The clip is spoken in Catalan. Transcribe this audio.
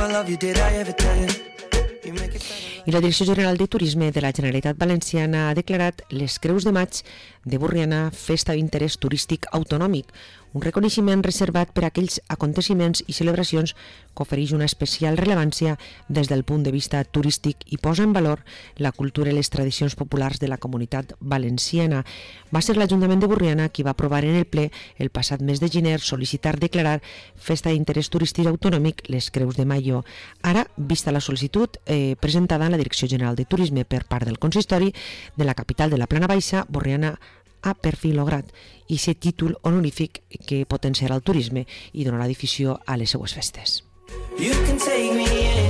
I love you, did I ever tell you? I la Direcció General de Turisme de la Generalitat Valenciana ha declarat les Creus de Maig de Borriana festa d'interès turístic autonòmic, un reconeixement reservat per a aquells aconteciments i celebracions que ofereix una especial rellevància des del punt de vista turístic i posa en valor la cultura i les tradicions populars de la comunitat valenciana. Va ser l'Ajuntament de Borriana qui va aprovar en el ple el passat mes de gener sol·licitar declarar festa d'interès turístic autonòmic les Creus de Mayo. Ara, vista la sol·licitud presentada en la Direcció General de Turisme per part del consistori de la capital de la Plana Baixa, Borriana ha per fi lograt aquest títol honorífic que potenciarà el turisme i donarà difusió a les seues festes. You can take me